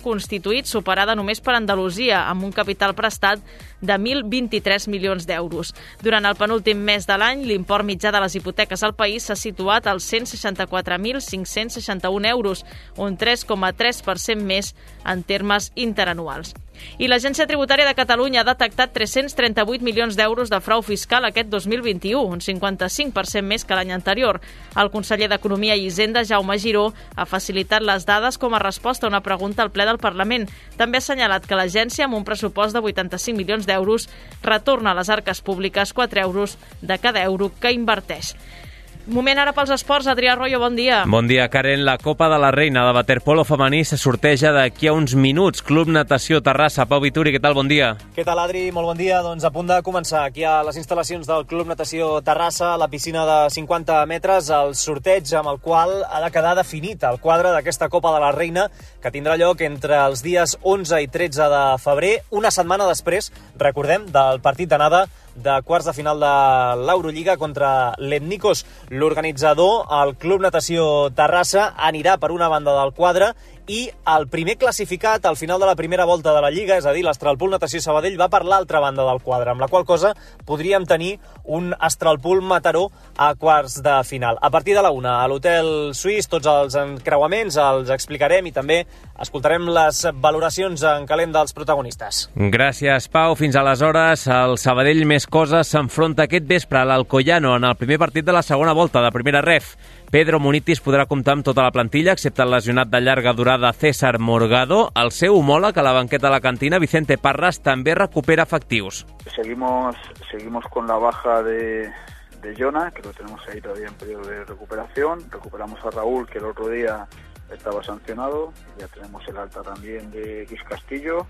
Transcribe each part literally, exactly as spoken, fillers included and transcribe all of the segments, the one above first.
constituït, superada només per Andalusia, amb un capital prestat de mil vint-i-tres milions d'euros. Durant el penúltim mes de l'any, l'import mitjà de les hipoteques al país s'ha situat als cent seixanta-quatre mil cinc-cents seixanta-un euros, un tres coma tres per cent més en termes interanuals. I l'Agència Tributària de Catalunya ha detectat tres-cents trenta-vuit milions d'euros de frau fiscal aquest dos mil vint-i-u, un cinquanta-cinc per cent més que l'any anterior. El conseller d'Economia i Hisenda, Jaume Giró, ha facilitat les dades com a resposta a una pregunta al ple del Parlament. També ha assenyalat que l'agència, amb un pressupost de vuitanta-cinc milions d'euros, retorna a les arques públiques quatre euros de cada euro que inverteix. Moment ara pels esports. Adrià Arroyo, bon dia. Bon dia, Karen. La Copa de la Reina de waterpolo femení se sorteja d'aquí a uns minuts. Club Natació Terrassa. Pau Vituri, què tal? Bon dia. Què tal, Adri? Molt bon dia. Doncs a punt de començar aquí a les instal·lacions del Club Natació Terrassa, a la piscina de cinquanta metres, el sorteig amb el qual ha de quedar definit el quadre d'aquesta Copa de la Reina, que tindrà lloc entre els dies onze i tretze de febrer, una setmana després, recordem, del partit d'anada de quarts de final de l'Eurolliga contra l'Etnikos. L'organitzador, el Club Natació Terrassa, anirà per una banda del quadre i el primer classificat al final de la primera volta de la Lliga, és a dir, l'Astralpool Natació Sabadell, va per l'altra banda del quadre, amb la qual cosa podríem tenir un Astralpool Mataró a quarts de final. A partir de la una, a l'Hotel Suís, tots els encreuaments els explicarem i també escoltarem les valoracions en calent dels protagonistes. Gràcies, Pau. Fins aleshores, el Sabadell Més Coses s'enfronta aquest vespre a l'Alcoyano en el primer partit de la segona volta de primera ref. Pedro Munitis podrà comptar amb tota la plantilla, excepte el lesionat de llarga durada César Morgado. El seu homòleg a la banqueta de la cantina, Vicente Parras, també recupera efectius. Seguimos, seguimos con la baja de, de Jonah, que lo tenemos ahí todavía en periodo de recuperación. Recuperamos a Raúl, que el otro día estaba sancionado. Ya tenemos el alta también de Luis Castillo.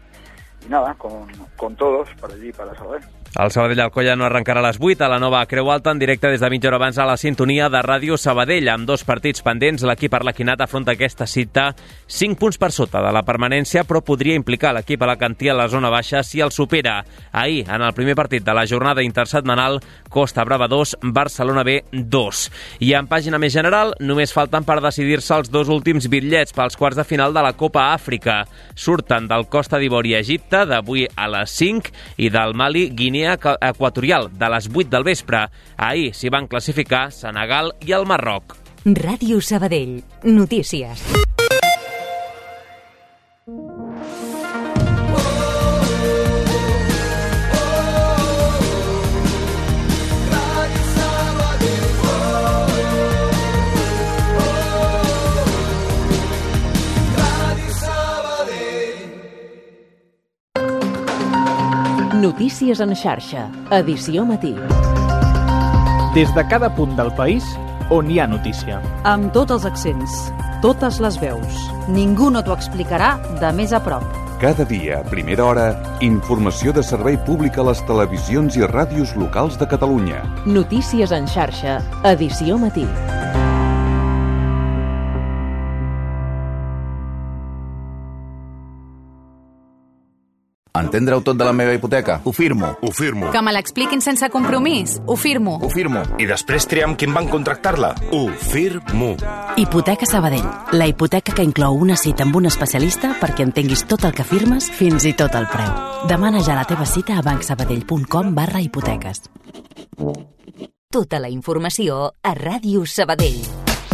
Y nada, con, con todos para allí, para Sabadell. El Sabadell Alcoyano arrencarà a les vuit a la nova Creu Alta en directe des de mitja hora abans a la sintonia de Ràdio Sabadell. Amb dos partits pendents, l'equip arlequinat afronta aquesta cita cinc punts per sota de la permanència, però podria implicar l'equip alacantí a la zona baixa si el supera. Ahir, en el primer partit de la jornada intersetmanal, Costa Brava dos, Barcelona B dos. I en pàgina més general, només falten per decidir-se els dos últims bitllets pels quarts de final de la Copa Àfrica. Surten del Costa d'Ivori a Egipte, d'avui a les cinc, i del Mali, Guinea Equatorial, de les vuit del vespre. Ahir s'hi van classificar Senegal i el Marroc. Ràdio Sabadell. Notícies. Notícies en xarxa, edició matí. Des de cada punt del país on hi ha notícia. Amb tots els accents, totes les veus. Ningú no t'ho explicarà de més a prop. Cada dia, a primera hora, informació de servei públic a les televisions i ràdios locals de Catalunya. Notícies en xarxa, edició matí. Entendre-ho tot de la meva hipoteca? Ho firmo. Ho firmo. Que me l'expliquin sense compromís? Ho firmo. Ho firmo. I després triam quin banc contractar-la? Ho firmo. Hipoteca Sabadell. La hipoteca que inclou una cita amb un especialista perquè entenguis tot el que firmes, fins i tot el preu. Demana ja la teva cita a bancsabadell.com barra hipoteques. Tota la informació a Ràdio Sabadell.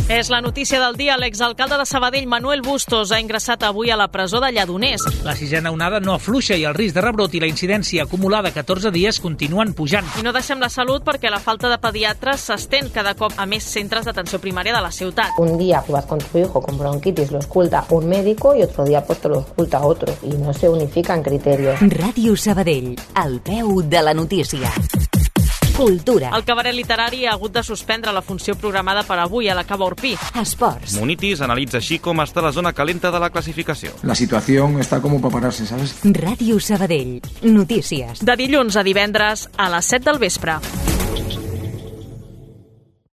És la notícia del dia. L'exalcalde de Sabadell, Manuel Bustos, ha ingressat avui a la presó de Lledoners. La sisena onada no afluixa i el risc de rebrot i la incidència acumulada catorze dies continuen pujant. I no deixem la salut perquè la falta de pediatres s'estén cada cop a més centres d'atenció primària de la ciutat. Un día vas con tu hijo con bronquitis, lo esculta un médico y otro día pues te lo esculta otro y no se unifican criterios. Ràdio Sabadell, al peu de la notícia. Cultura. El cabaret literari ha hagut de suspendre la funció programada per avui a la Cava Orpí. Esports. Munitis analitza així com està la zona calenta de la classificació. La situació està com per parar-se, ¿sabes? Ràdio Sabadell. Notícies. De dilluns a divendres a les set del vespre.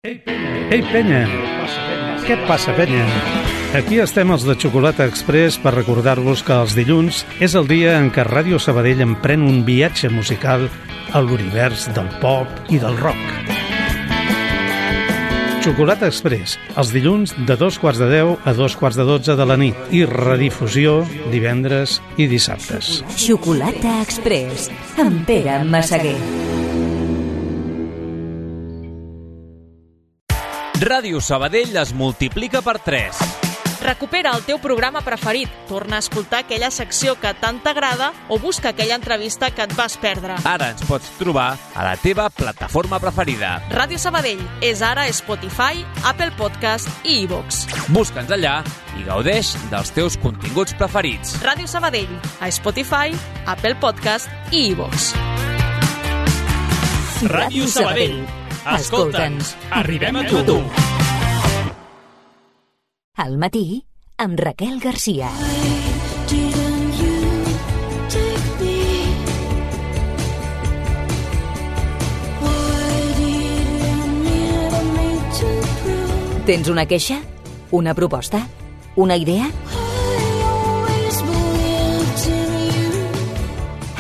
Ei, Ei penya. Què passa, penya? Aquí estem els de Xocolata Express per recordar-vos que els dilluns és el dia en què Ràdio Sabadell emprèn un viatge musical a l'univers del pop i del rock. Xocolata Express, els dilluns de dos quarts de deu a dos quarts de dotze de la nit i redifusió divendres i dissabtes. Xocolata Express, amb Pere Massaguer. Ràdio Sabadell es multiplica per tres. Recupera el teu programa preferit, torna a escoltar aquella secció que tant t'agrada o busca aquella entrevista que et vas perdre. Ara ens pots trobar a la teva plataforma preferida. Ràdio Sabadell és ara a Spotify, Apple Podcast i iVoox. Busca'ns allà i gaudeix dels teus continguts preferits. Ràdio Sabadell, a Spotify, Apple Podcast i iVoox. Ràdio Sabadell. Escolta'ns, arribem a tu. Al matí, amb Raquel Garcia. Tens una queixa? Una proposta? Una idea?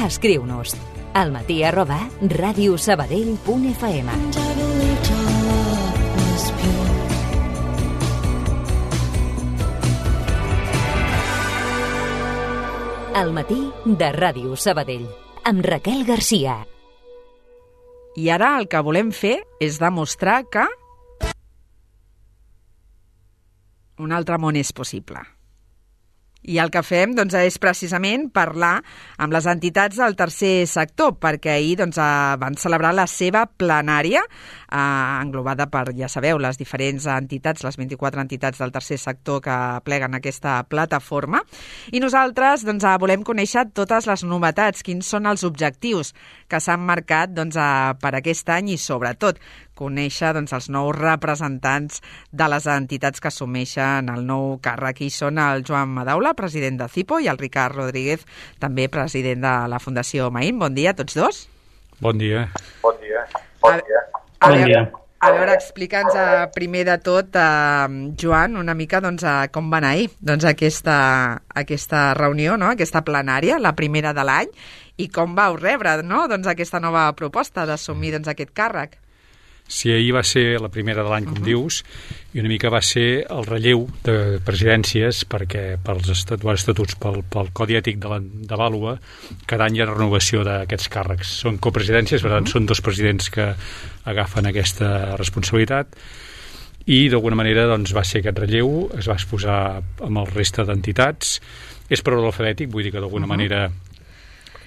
Escriu-nos al matí arroba radiosabadell punt f m. Al matí de Ràdio Sabadell, amb Raquel Garcia. I ara el que volem fer és demostrar que un altre món és possible. I el que fem doncs, és precisament parlar amb les entitats del tercer sector, perquè ahir doncs, van celebrar la seva plenària, eh, englobada per, ja sabeu, les diferents entitats, les vint-i-quatre entitats del tercer sector que pleguen aquesta plataforma. I nosaltres doncs, volem conèixer totes les novetats, quins són els objectius que s'han marcat doncs, per aquest any i, sobretot, conèixer doncs, els nous representants de les entitats que assumeixen el nou càrrec. I són el Joan Madaula, president de CIPO, i el Ricard Rodríguez, també president de la Fundació Maín. Bon dia a tots dos. Bon dia. Bon dia. Bon dia. A, a, bon dia. A veure, explica'ns primer de tot, eh, Joan, una mica doncs, com va anar ahir doncs, aquesta, aquesta reunió, no? Aquesta plenària, la primera de l'any, i com vau rebre no? doncs, aquesta nova proposta d'assumir doncs, aquest càrrec. Sí, ahir va ser la primera de l'any, com uh -huh. dius, i una mica va ser el relleu de presidències, perquè pels estatuts, pel, pel Codi Ètic de, la, de Vàlua, cada any hi ha renovació d'aquests càrrecs. Són copresidències, per tant, uh -huh. són dos presidents que agafen aquesta responsabilitat, i d'alguna manera doncs, va ser aquest relleu, es va exposar amb el resta d'entitats. És per ordre alfabètic, vull dir que d'alguna uh -huh. manera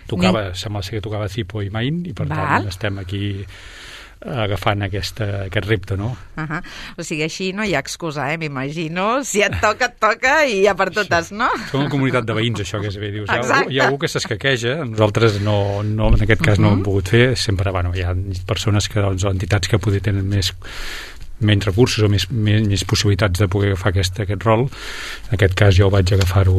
tocava, Ni... sembla ser que tocava CIPO i Maín, i per Val. tant estem aquí agafant aquesta, aquest repte, no? Uh -huh. O sigui, així no hi ha excusa, eh? M'imagino. Si et toca, et toca i ja per totes, no? Som una comunitat de veïns, això que és bé. Dius, hi, ha, hi ha algú que s'escaqueja, nosaltres no, no, en aquest cas uh -huh. no ho hem pogut fer. Sempre, bueno, hi ha persones que, doncs, entitats que poder tenen més menys recursos o més, més, més possibilitats de poder agafar aquest, aquest rol. En aquest cas jo vaig agafar-ho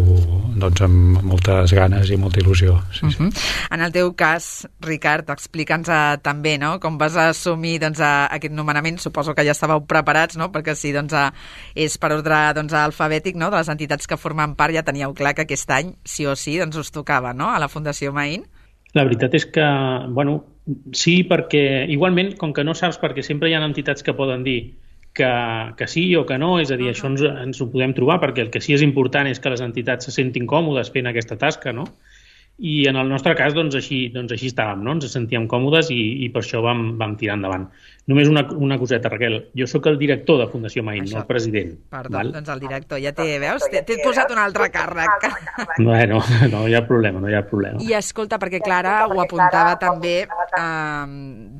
doncs, amb moltes ganes i molta il·lusió. Sí, uh-huh. sí. En el teu cas, Ricard, explica'ns uh, també no? com vas assumir doncs, uh, aquest nomenament. Suposo que ja estàveu preparats, no? perquè si doncs, uh, és per ordre doncs, alfabètic no? de les entitats que formen part, ja teníeu clar que aquest any sí o sí doncs, us tocava no? a la Fundació Maín. La veritat és que, bueno, sí, perquè igualment, com que no saps, perquè sempre hi ha entitats que poden dir que, que sí o que no, és a dir, uh-huh. això ens, ens ho podem trobar, perquè el que sí és important és que les entitats se sentin còmodes fent aquesta tasca, no? I en el nostre cas, doncs així, doncs així estàvem, no? Ens sentíem còmodes i, i per això vam, vam tirar endavant. Només una, una coseta, Raquel. Jo sóc el director de Fundació Maín, això. No el president. Perdó, val? Doncs el director. Ja té, veus? T'he posat un altre càrrec. Bueno, no hi ha problema, no hi ha problema. I escolta, perquè Clara ho apuntava també, eh,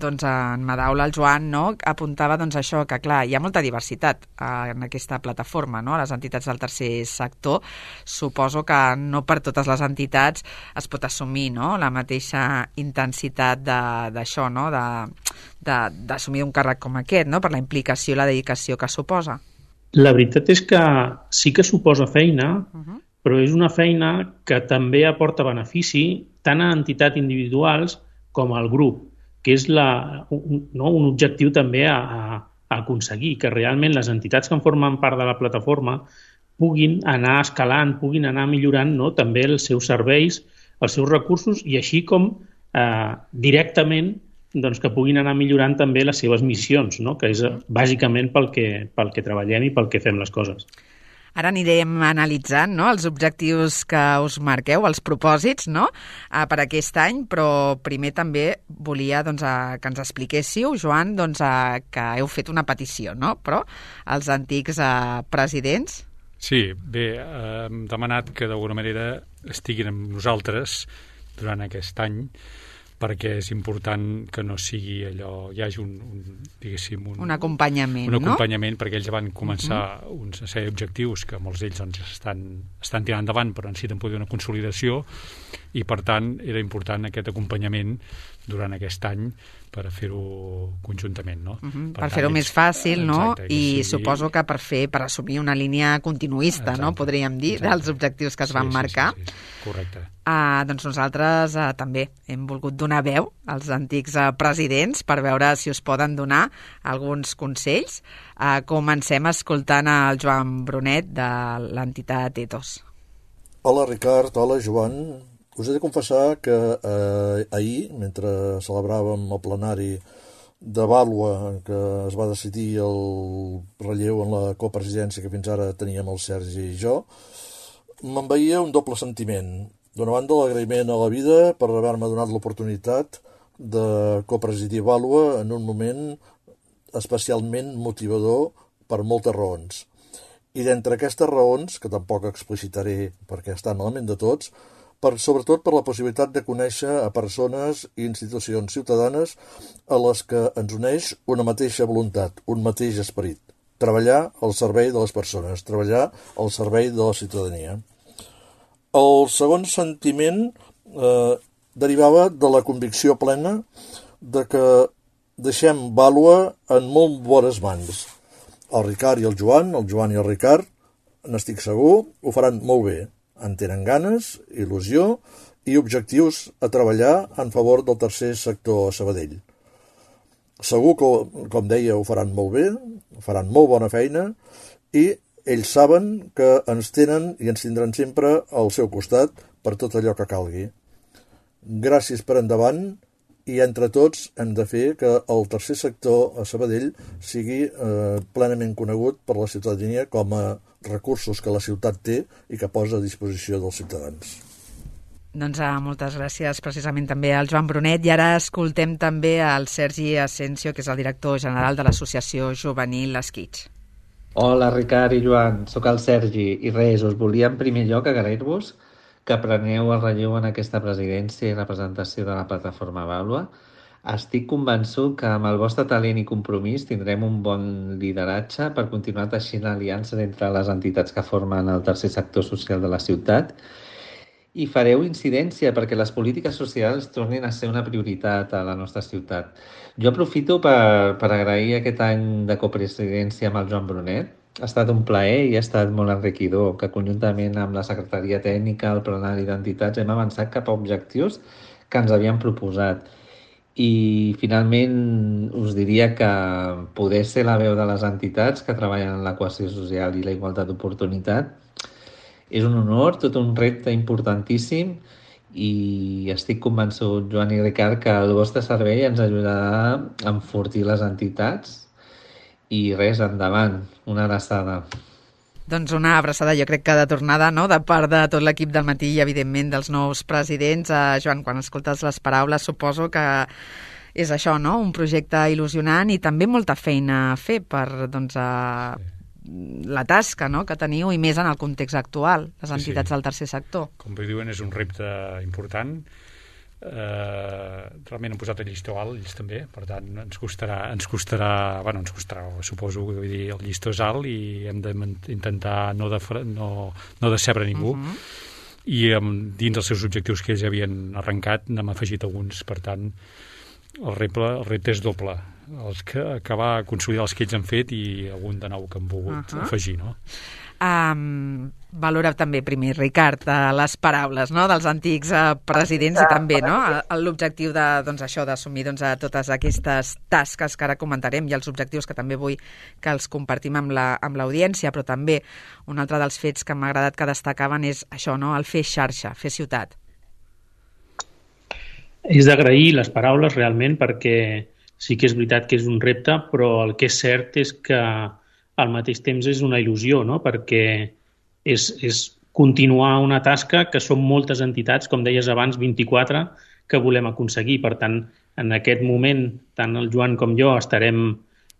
doncs en Madaula, el Joan, no? Apuntava doncs això, que clar, hi ha molta diversitat eh, en aquesta plataforma, no? Les entitats del tercer sector. Suposo que no per totes les entitats es pot assumir no? la mateixa intensitat d'això, no? d'assumir un càrrec com aquest, no? per la implicació i la dedicació que suposa. La veritat és que sí que suposa feina, uh-huh. però és una feina que també aporta benefici tant a entitats individuals com al grup, que és la, un, no? un objectiu també a, a, a aconseguir, que realment les entitats que en formen part de la plataforma puguin anar escalant, puguin anar millorant no? també els seus serveis, els seus recursos i així com eh, directament doncs, que puguin anar millorant també les seves missions, no? Que és bàsicament pel que, pel que treballem i pel que fem les coses. Ara anirem analitzant, no?, els objectius que us marqueu, els propòsits, no?, uh, per aquest any, però primer també volia doncs, uh, que ens expliquéssiu, Joan, doncs, uh, que heu fet una petició, no?, però els antics uh, presidents... Sí, bé, eh, hem demanat que d'alguna manera estiguin amb nosaltres durant aquest any, perquè és important que no sigui allò, hi hagi un, un diguéssim... Un, un acompanyament, un acompanyament, no? Perquè ells van començar uh-huh. uns sèrie d'objectius que molts d'ells doncs, estan, estan tirant endavant, però necessiten poder una consolidació, i per tant era important aquest acompanyament durant aquest any per fer-ho conjuntament, no? Uh-huh. Per, per fer-ho més fàcil, no? Exacte, I sigui... suposo que per fer per assumir una línia continuista, exacte, no? Podríem dir, exacte, dels objectius que es van sí, marcar. Sí, sí, sí. Correcte. Uh, doncs nosaltres uh, també hem volgut donar veu als antics uh, presidents per veure si us poden donar alguns consells. Uh, comencem escoltant el Joan Brunet de l'entitat Ethos. Hola Ricard, hola Joan. Us he de confessar que eh, ahir, mentre celebràvem el plenari de Vàlua, en què es va decidir el relleu en la copresidència que fins ara teníem el Sergi i jo, m'envaïa un doble sentiment. D'una banda, l'agraïment a la vida per haver-me donat l'oportunitat de copresidir Vàlua en un moment especialment motivador per moltes raons. I d'entre aquestes raons, que tampoc explicitaré perquè estan a la ment de tots, per, sobretot per la possibilitat de conèixer a persones i institucions ciutadanes a les que ens uneix una mateixa voluntat, un mateix esperit. Treballar al servei de les persones, treballar al servei de la ciutadania. El segon sentiment eh, derivava de la convicció plena de que deixem Vàlua en molt bones mans. El Ricard i el Joan, el Joan i el Ricard, n'estic segur, ho faran molt bé. En tenen ganes, il·lusió i objectius a treballar en favor del tercer sector a Sabadell. Segur que, com deia, ho faran molt bé, faran molt bona feina i ells saben que ens tenen i ens tindran sempre al seu costat per tot allò que calgui. Gràcies per endavant i entre tots hem de fer que el tercer sector a Sabadell sigui eh, plenament conegut per la ciutadania com a recursos que la ciutat té i que posa a disposició dels ciutadans. Doncs ah, moltes gràcies precisament també al Joan Brunet, i ara escoltem també al Sergi Asensio, que és el director general de l'Associació Juvenil Esquitx. Hola Ricard i Joan, sóc el Sergi i res, us volia en primer lloc agrair-vos que preneu el relleu en aquesta presidència i representació de la plataforma Vàlua. Estic convençut que amb el vostre talent i compromís tindrem un bon lideratge per continuar teixint aliances entre les entitats que formen el tercer sector social de la ciutat i fareu incidència perquè les polítiques socials tornin a ser una prioritat a la nostra ciutat. Jo aprofito per, per agrair aquest any de copresidència amb el Joan Brunet. Ha estat un plaer i ha estat molt enriquidor que conjuntament amb la Secretaria Tècnica, el plenari d'entitats, hem avançat cap a objectius que ens havíem proposat. I finalment us diria que poder ser la veu de les entitats que treballen en la cohesió social i la igualtat d'oportunitat és un honor, tot un repte importantíssim, i estic convençut, Joan i Ricard, que el vostre servei ens ajudarà a enfortir les entitats i res, endavant, una abraçada. Doncs una abraçada, jo crec que de tornada, no?, de part de tot l'equip del matí i, evidentment, dels nous presidents. Eh, Joan, quan escoltes les paraules, suposo que és això, no?, un projecte il·lusionant i també molta feina a fer per, doncs, a... la tasca, no?, que teniu, i més en el context actual, les entitats sí, sí. del tercer sector. Com bé diuen, és un repte important. Eh, realment han posat el llistó alt, ells també, per tant ens costarà, ens costarà, bueno, ens costarà, suposo que vull dir, el llistó és alt i hem d'intentar no, de, no, no decebre ningú. Uh-huh. I um, dins els seus objectius que ells havien arrencat n'hem afegit alguns, per tant el repte, el repte és doble, els que, acabar a consolidar els que ells han fet i algun de nou que han volgut uh-huh. afegir, no? Um, valora també primer, Ricard, les paraules, no?, dels antics uh, presidents i també, no?, l'objectiu de, doncs, això, d'assumir, doncs, totes aquestes tasques que ara comentarem i els objectius que també vull que els compartim amb la, amb l'audiència, però també un altre dels fets que m'ha agradat que destacaven és això, no?, el fer xarxa, fer ciutat. és d'agrair les paraules realment, perquè sí que és veritat que és un repte, però el que és cert és que al mateix temps és una il·lusió, no? Perquè és, és continuar una tasca que són moltes entitats, com deies abans, vint-i-quatre, que volem aconseguir. Per tant, en aquest moment, tant el Joan com jo estarem,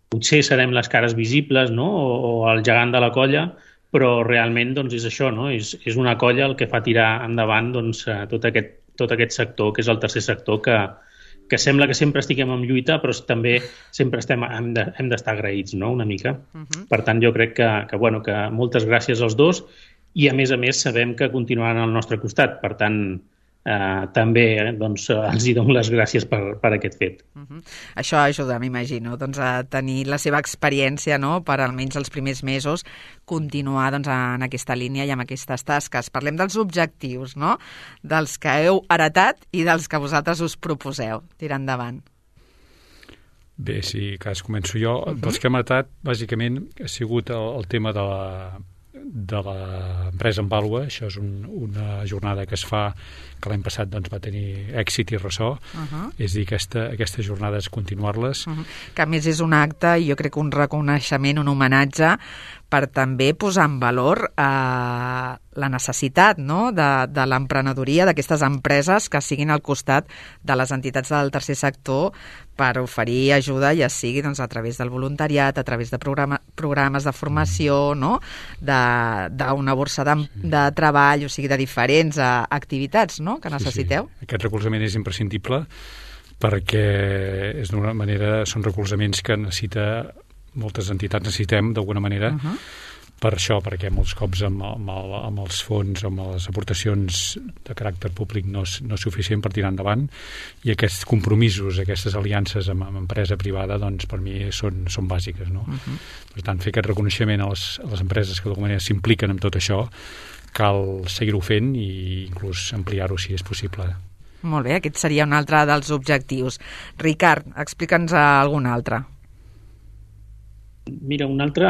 potser serem les cares visibles, no? o, o el gegant de la colla, però realment doncs, és això, no? és, és una colla el que fa tirar endavant doncs, tot, aquest, tot aquest sector, que és el tercer sector, que, que sembla que sempre estiguem en lluita, però també sempre estem, hem de, hem d'estar agraïts, no? Una mica. Uh-huh. Per tant, jo crec que, que, bueno, que moltes gràcies als dos, i a més a més sabem que continuaran al nostre costat. Per tant, eh, també eh, doncs, els hi dono les gràcies per, per aquest fet. Uh-huh. Això ajuda, m'imagino, doncs, a tenir la seva experiència, no?, per almenys els primers mesos continuar doncs, en aquesta línia i amb aquestes tasques. Parlem dels objectius, no?, dels que heu heretat i dels que vosaltres us proposeu. Tirar endavant. Bé, si cas començo jo. Uh-huh. Dels que hem heretat, bàsicament, ha sigut el, el tema de la de l'empresa en vàlua. Això és un, una jornada que es fa, que l'any passat doncs, va tenir èxit i ressò. Uh-huh. És a dir, aquesta, aquestes jornades continuar-les. Uh-huh. Que a més és un acte, i jo crec que un reconeixement, un homenatge, per també posar en valor eh, la necessitat, no?, de, de l'emprenedoria, d'aquestes empreses que siguin al costat de les entitats del tercer sector per oferir ajuda, ja sigui doncs, a través del voluntariat, a través de programa, programes de formació, no?, d'una borsa de, de treball, o sigui, de diferents uh, activitats, no?, que necessiteu. Sí, sí. Aquest recolzament és imprescindible perquè és d'una manera, són recolzaments que necessita moltes entitats, necessitem d'alguna manera. Uh-huh. Per això, perquè molts cops amb, amb, el, amb els fons, amb les aportacions de caràcter públic no és, no és suficient per tirar endavant, i aquests compromisos, aquestes aliances amb, amb empresa privada, doncs per mi són, són bàsiques, no? Uh-huh. Per tant, fer aquest reconeixement a les, a les empreses que d'alguna manera s'impliquen en tot això, cal seguir-ho fent i inclús ampliar-ho si és possible. Molt bé, aquest seria un altre dels objectius. Ricard, explica'ns algun altre. Mira, un altre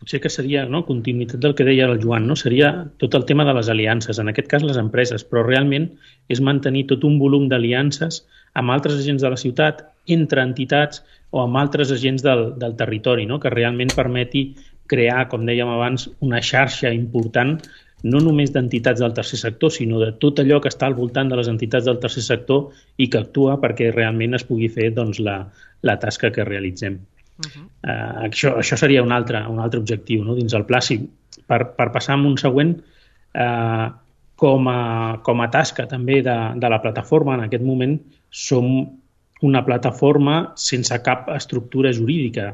potser que seria, no?, continuïtat del que deia el Joan, no? Seria tot el tema de les aliances, en aquest cas les empreses, però realment és mantenir tot un volum d'aliances amb altres agents de la ciutat, entre entitats o amb altres agents del, del territori, no?, que realment permeti crear, com dèiem abans, una xarxa important, no només d'entitats del tercer sector, sinó de tot allò que està al voltant de les entitats del tercer sector i que actua perquè realment es pugui fer doncs, la, la tasca que realitzem. Uh-huh. Uh, això, això seria un altre, un altre objectiu, no?, dins el pla. Sí, per, per passar a un següent, uh, com, a, com a tasca també de, de la plataforma, en aquest moment som una plataforma sense cap estructura jurídica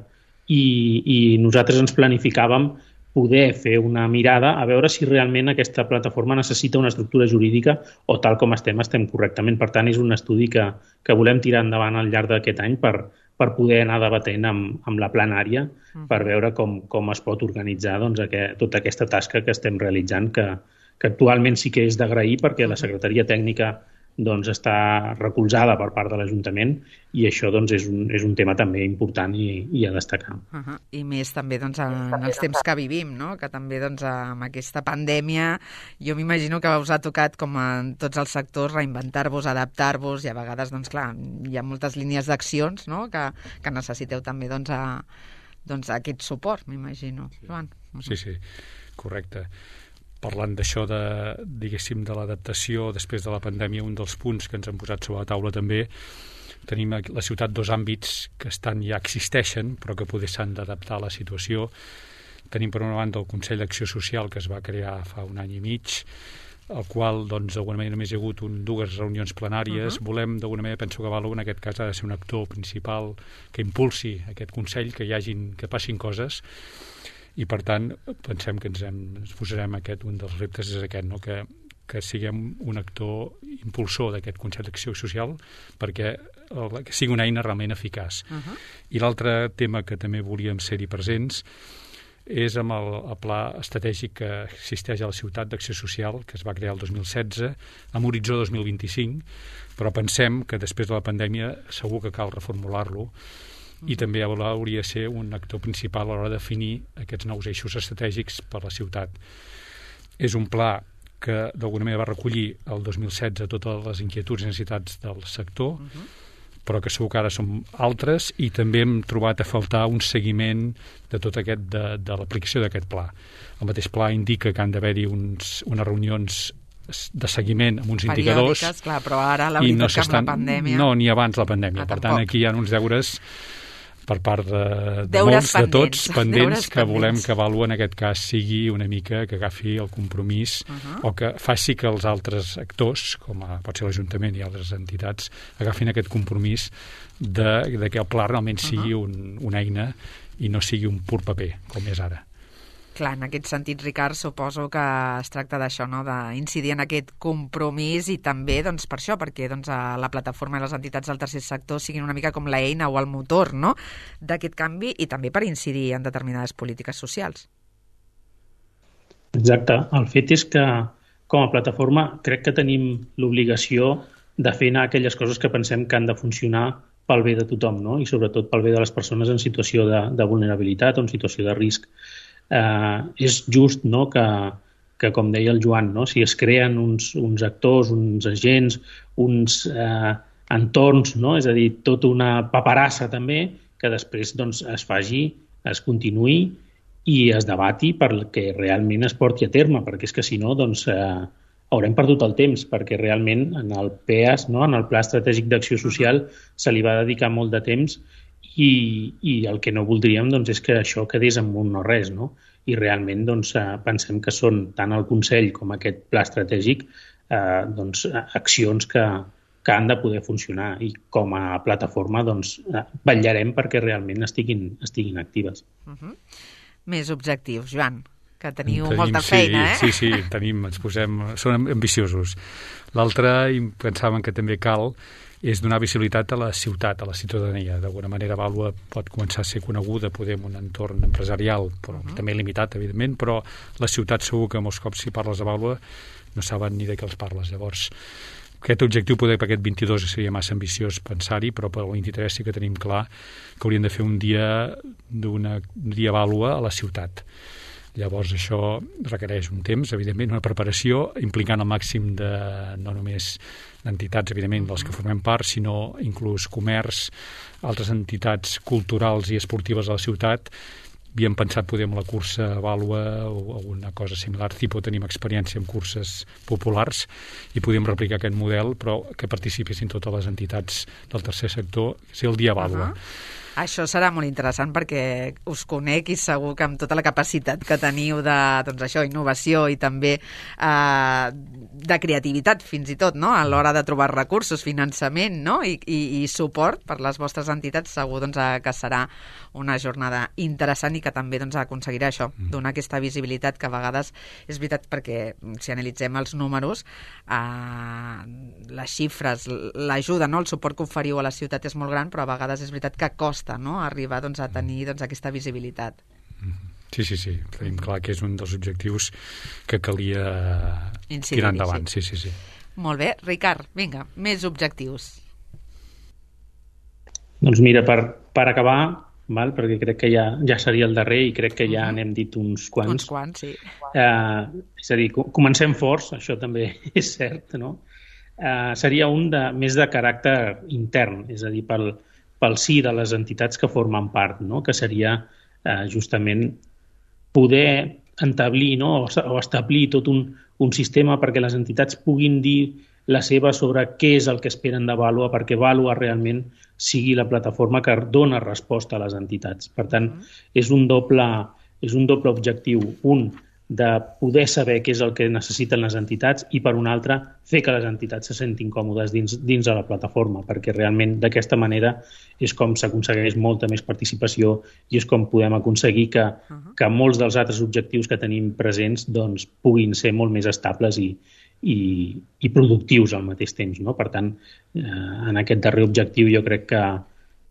i, i nosaltres ens planificàvem poder fer una mirada a veure si realment aquesta plataforma necessita una estructura jurídica o tal com estem, estem correctament. Per tant, és un estudi que, que volem tirar endavant al llarg d'aquest any per, per poder anar debatent amb, amb la plenària, per veure com, com es pot organitzar doncs, aquest, tota aquesta tasca que estem realitzant, que, que actualment sí que és d'agrair perquè la Secretaria Tècnica doncs, està recolzada per part de l'Ajuntament i això doncs, és, un, és un tema també important i, i a destacar. Uh-huh. I més també doncs, en, en els temps que vivim, no?, que també doncs, amb aquesta pandèmia jo m'imagino que us ha tocat, com en tots els sectors, reinventar-vos, adaptar-vos i a vegades, doncs clar, hi ha moltes línies d'accions, no?, que, que necessiteu també doncs, a, doncs, a aquest suport, m'imagino. Joan. Uh-huh. Sí, sí, correcte. Parlant d'això, de, diguéssim, de l'adaptació després de la pandèmia, un dels punts que ens han posat sobre la taula també, tenim a la ciutat dos àmbits que estan ja existeixen, però que potser s'han d'adaptar a la situació. Tenim per una banda el Consell d'Acció Social, que es va crear fa un any i mig, el qual, doncs, d'alguna manera només hi ha hagut un, dues reunions plenàries. Uh-huh. Volem, d'alguna manera, penso que Valo, en aquest cas, ha de ser un actor principal que impulsi aquest Consell, que hi hagin, que passin coses, i per tant pensem que ens, hem, ens posarem aquest, un dels reptes és aquest, no? que, que siguem un actor impulsor d'aquest Consell d'Acció Social perquè el, que sigui una eina realment eficaç. Uh-huh. I l'altre tema que també volíem ser-hi presents és amb el, el pla estratègic que existeix a la ciutat d'Acció Social, que es va crear el dos mil setze, amb horitzó dos mil vint-i-cinc, però pensem que després de la pandèmia segur que cal reformular-lo i també hauria de ser un actor principal a l'hora de definir aquests nous eixos estratègics per la ciutat. És un pla que d'alguna manera va recollir el dos mil setze totes les inquietuds i necessitats del sector, uh-huh. però que segur que ara són altres, i també hem trobat a faltar un seguiment de tot aquest, de, de l'aplicació d'aquest pla. El mateix pla indica que han d'haver-hi uns, unes reunions de seguiment amb uns indicadors, clar, però ara la veritat no que amb la pandèmia... No, ni abans la pandèmia. Ah, per tant, aquí hi ha uns deures per part de, de molts, pendents. de tots, pendents, que volem que Vàlua en aquest cas sigui una mica, que agafi el compromís uh-huh. o que faci que els altres actors, com a, pot ser l'Ajuntament i altres entitats, agafin aquest compromís de, de que el pla realment sigui uh-huh. un, una eina i no sigui un pur paper, com és ara. Clar, en aquest sentit, Ricard, suposo que es tracta d'això, no?, d'incidir en aquest compromís i també, doncs, per això, perquè doncs, la plataforma i les entitats del tercer sector siguin una mica com l'eina o el motor, no?, d'aquest canvi i també per incidir en determinades polítiques socials. Exacte. El fet és que, com a plataforma, crec que tenim l'obligació de fer anar aquelles coses que pensem que han de funcionar pel bé de tothom, no?, i sobretot pel bé de les persones en situació de, de vulnerabilitat o en situació de risc. Eh, és just, no?, que, que, com deia el Joan, no?, si es creen uns, uns actors, uns agents, uns eh, entorns, no?, és a dir, tota una paperassa també, que després doncs, es faci, es continuï i es debati perquè realment es porti a terme, perquè és que si no, doncs, eh, haurem perdut el temps, perquè realment en el P E A S, no?, en el Pla Estratègic d'Acció Social, se li va dedicar molt de temps. I, i el que no voldríem doncs, és que això quedés en un no res, no? I realment doncs, pensem que són tant el Consell com aquest pla estratègic eh, doncs, accions que, que han de poder funcionar i com a plataforma doncs, vetllarem perquè realment estiguin, estiguin actives. Uh-huh. Més objectius, Joan, que teniu tenim, molta feina, sí, eh? Sí, sí, tenim, ens posem, són ambiciosos. L'altre, pensàvem que també cal, és donar visibilitat a la ciutat, a la ciutadania. D'alguna manera, Vàlua pot començar a ser coneguda, poder en un entorn empresarial, però uh-huh. també limitat, evidentment, però la ciutat segur que molts cops si parles de Vàlua no saben ni de què els parles. Llavors, aquest objectiu poder per aquest vint-i-dos seria massa ambiciós pensar-hi, però per el vint-i-tres sí que tenim clar que hauríem de fer un dia d'una un dia Vàlua a la ciutat. Llavors això requereix un temps, evidentment, una preparació, implicant el màxim de no només entitats, evidentment, dels que formem part, sinó inclús comerç, altres entitats culturals i esportives de la ciutat. Havíem pensat poder amb la cursa Vàlua o alguna cosa similar, tipus tenim experiència en curses populars i podíem replicar aquest model, però que participessin totes les entitats del tercer sector, ser el dia Vàlua. Uh-huh. Això serà molt interessant perquè us conec i segur que amb tota la capacitat que teniu de, doncs això, innovació i també eh, de creativitat fins i tot, no?, a l'hora de trobar recursos, finançament, no?, I, i, i suport per les vostres entitats, segur doncs, que serà una jornada interessant i que també doncs, aconseguirà això, donar aquesta visibilitat que a vegades és veritat perquè si analitzem els números, eh, les xifres, l'ajuda, no?, el suport que oferiu a la ciutat és molt gran, però a vegades és veritat que costa, no?, arribar doncs, a tenir doncs, aquesta visibilitat. Sí, sí, sí. Tenim clar que és un dels objectius que calia incidir, tirar endavant. Sí, sí, sí. Molt bé. Ricard, vinga, més objectius. Doncs mira, per, per acabar, val? Perquè crec que ja, ja seria el darrer i crec que ja uh-huh. n'hem dit uns quants. Uns quants, sí. Eh, és a dir, comencem forts, això també és cert, no? Eh, seria un de, més de caràcter intern, és a dir, pel, pel sí de les entitats que formen part, no?, que seria eh, justament poder entablir, no?, o establir tot un, un sistema perquè les entitats puguin dir la seva sobre què és el que esperen de Vàlua, perquè Vàlua realment sigui la plataforma que dona resposta a les entitats. Per tant, és un doble, és un doble objectiu. Un, de poder saber què és el que necessiten les entitats i, per un altre, fer que les entitats se sentin còmodes dins, dins de la plataforma, perquè realment d'aquesta manera és com s'aconsegueix molta més participació i és com podem aconseguir que, que molts dels altres objectius que tenim presents doncs, puguin ser molt més estables i, i, i productius al mateix temps, no? Per tant, eh, en aquest darrer objectiu jo crec que,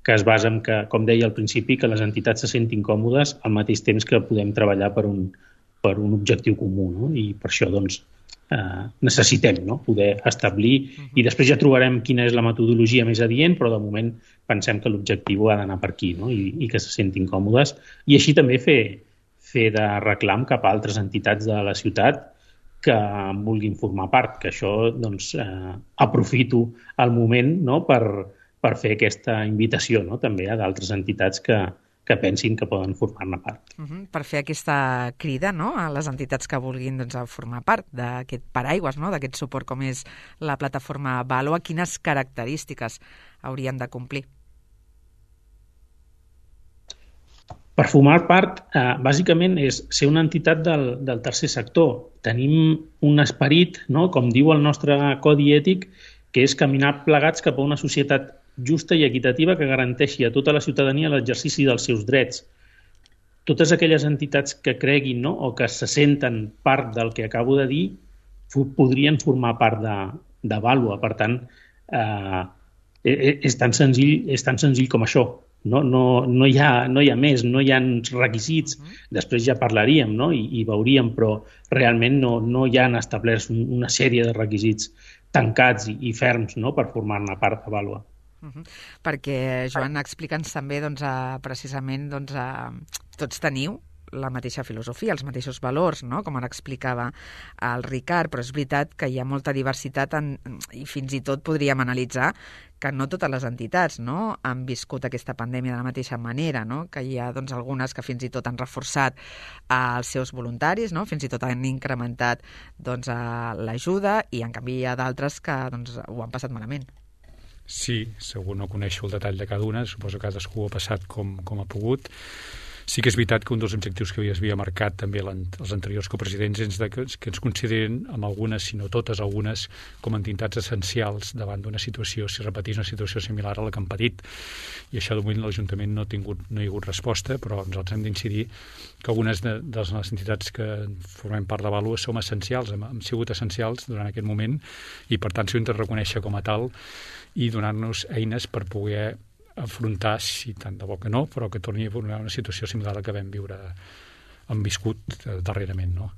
que es basa en que, com deia al principi, que les entitats se sentin còmodes al mateix temps que podem treballar per un per un objectiu comú, no? I per això doncs, eh, necessitem, no?, poder establir uh-huh. i després ja trobarem quina és la metodologia més adient, però de moment pensem que l'objectiu ha d'anar per aquí, no?, I, i que se sentin còmodes i així també fer, fer de reclam cap a altres entitats de la ciutat que vulguin formar part, que això doncs, eh, aprofito el moment, no?, per, per fer aquesta invitació, no?, també a d'altres entitats que, que pensin que poden formar-ne part. Uh-huh. Per fer aquesta crida, no?, a les entitats que vulguin doncs, formar part d'aquest paraigües, no?, d'aquest suport com és la plataforma Vàlua, quines característiques haurien de complir? Per formar part, eh, bàsicament, és ser una entitat del, del tercer sector. Tenim un esperit, no?, com diu el nostre codi ètic, que és caminar plegats cap a una societat justa i equitativa que garanteixi a tota la ciutadania l'exercici dels seus drets. Totes aquelles entitats que creguin, no?, o que se senten part del que acabo de dir podrien formar part de, de Vàlua. Per tant, eh, és, tan senzill, és tan senzill com això. No, no, no, hi ha, no hi ha més, no hi ha requisits. Després ja parlaríem, no?, i, i veuríem, però realment no, no hi han establerts una sèrie de requisits tancats i, i ferms, no?, per formar-ne part de Vàlua. Uh-huh. Perquè, Joan, explica'ns també doncs, a, precisament doncs, a, tots teniu la mateixa filosofia, els mateixos valors, no?, com ara explicava el Ricard, però és veritat que hi ha molta diversitat en, i fins i tot podríem analitzar que no totes les entitats, no?, han viscut aquesta pandèmia de la mateixa manera, no?, que hi ha doncs, algunes que fins i tot han reforçat eh, els seus voluntaris, no?, fins i tot han incrementat doncs, eh, l'ajuda, i en canvi hi ha d'altres que doncs, ho han passat malament. Sí, segur no coneixo el detall de cada una, suposo que cadascú ha passat com, com ha pogut. Sí que és veritat que un dels objectius que havia marcat també els anteriors copresidents és de que, que ens consideren amb algunes, si no totes algunes, com a entitats essencials davant d'una situació, si repetís una situació similar a la que han patit. I això de moment l'Ajuntament no ha tingut, no hi ha hagut resposta, però nosaltres hem d'incidir que algunes de, de les entitats que formem part de Vàlua som essencials, hem, hem sigut essencials durant aquest moment, i per tant s'ho hem de reconèixer com a tal i donar-nos eines per poder afrontar, si tant de bo que no, però que torni a una situació similar a la que vam viure, hem viscut darrerament, no?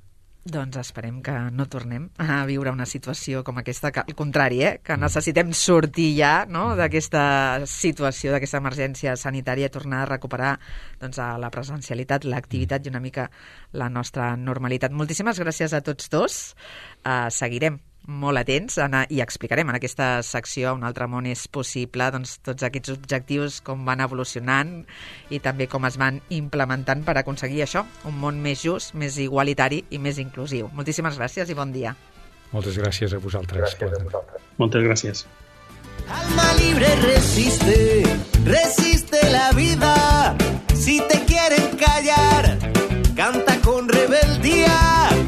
Doncs esperem que no tornem a viure una situació com aquesta, que al contrari, eh, que necessitem sortir ja, no?, d'aquesta situació, d'aquesta emergència sanitària, tornar a recuperar doncs, a la presencialitat, l'activitat i una mica la nostra normalitat. Moltíssimes gràcies a tots dos. Uh, seguirem molt atents a, i explicarem en aquesta secció Un altre món és possible doncs, tots aquests objectius, com van evolucionant i també com es van implementant per aconseguir això, un món més just, més igualitari i més inclusiu. Moltíssimes gràcies i bon dia. Moltes gràcies a vosaltres. Gràcies a vosaltres. Moltes gràcies. Alma libre resiste, resiste la vida. Si te quieren callar, canta con rebeldía.